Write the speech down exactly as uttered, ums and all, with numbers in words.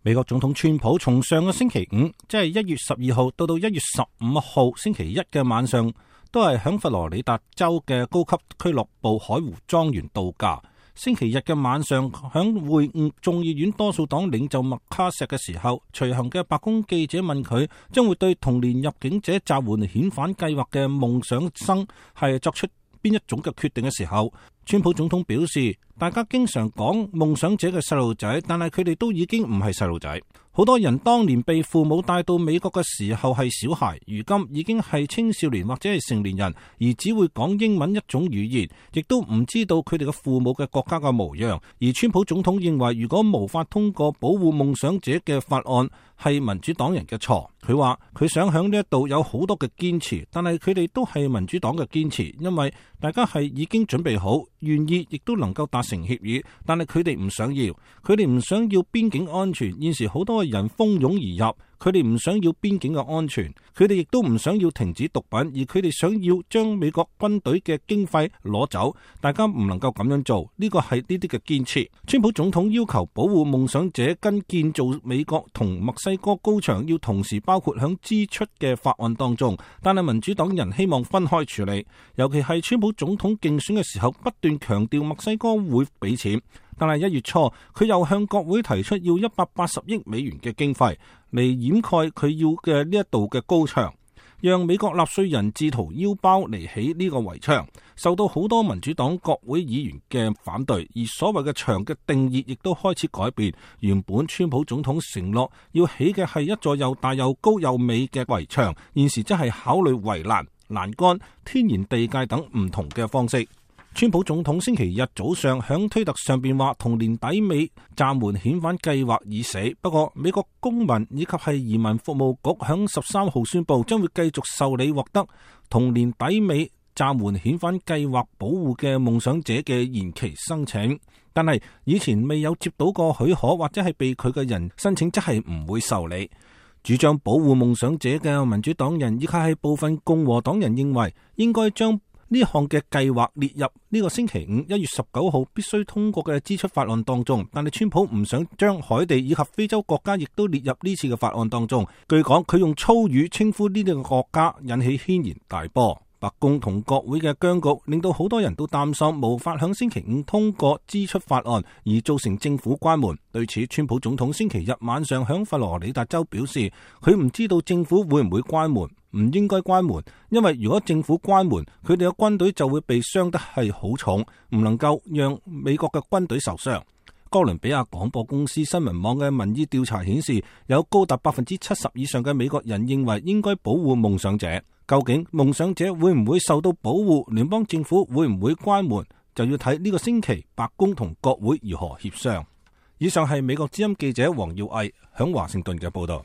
美國總統川普從上個星期五，即係一月十二號到到一月十五號星期一嘅晚上，都係響佛羅里達州嘅高級俱樂部海湖莊園度假。星期日嘅晚上，響會晤眾議院多數黨領袖麥卡錫嘅時候，隨行嘅白宮記者問佢，將會對同年入境者暫緩遣返計劃嘅夢想生係作出邊一種嘅決定嘅時候，川普總統表示，大家經常講夢想者嘅細路仔，但係佢哋都已經唔係細路仔。好多人當年被父母帶到美國嘅時候係小孩，如今已經係青少年或者係成年人，而只會講英文一種語言，亦都唔知道佢哋嘅父母嘅國家嘅模樣。而川普總統認為，如果無法通過保護夢想者嘅法案，係民主黨人嘅錯。佢話佢想響呢一度有好多嘅堅持，但係佢哋都係民主黨嘅堅持，因為大家係已經準備好，願意亦都能夠達成協議，但係佢哋唔想要，佢哋唔想要邊境安全。現時好多人蜂擁而入，佢哋唔想要邊境嘅安全，佢哋亦都唔想要停止毒品，而佢哋想要將美國軍隊嘅經費攞走。大家唔能夠咁樣做，呢個係呢啲嘅堅持。川普總統要求保護夢想者跟建造美國同墨西哥高牆要同時包括響支出嘅法案當中，但係民主黨人希望分開處理，尤其係川普總統競選嘅時候不斷強調墨西哥會俾錢，但係一月初佢又向國會提出要一百八十億美元嘅經費嚟掩蓋佢要嘅呢一度嘅高牆，讓美國納稅人自掏腰包嚟起呢個圍牆，受到好多民主黨國會議員嘅反對，而所謂嘅牆嘅定義亦都開始改變。原本川普總統承諾要起嘅係一座又大又高又美嘅圍牆，現時則係考慮圍欄、欄杆、天然地界等唔同嘅方式。川普總統星期日早上響推特上邊話，同年底尾暫緩遣返計劃已死。不過美國公民以及係移民服務局響十三號宣布，將會繼續受理獲得同年底尾暫緩遣返計劃保護嘅夢想者嘅延期申請。但係以前未有接到過許可或者係被拒嘅人申請，則係唔會受理。主張保護夢想者嘅民主黨人以及係部分共和黨人認為，應該將呢項嘅計劃列入呢個星期五一月十九號必須通過嘅支出法案當中，但係川普唔想將海地以及非洲國家亦都列入呢次嘅法案當中。據講，佢用粗語稱呼呢啲嘅國家，引起軒然大波。白宮同國會嘅僵局令到好多人都擔心無法響星期五通過支出法案，而造成政府關門。對此，川普總統星期日晚上響佛羅里達州表示，佢唔知道政府會唔會關門，唔應該關門，因為如果政府關門，佢哋嘅軍隊就會被傷得係好重，唔能夠讓美國嘅軍隊受傷。哥倫比亞廣播公司新聞網嘅民意調查顯示，有高達百分之七十以上嘅美國人認為應該保護夢想者。究竟夢想者會唔會受到保護，聯邦政府會唔會關門，就要睇呢個星期白宮同國會如何協商。以上係美國之音記者黃耀毅響華盛頓嘅報道。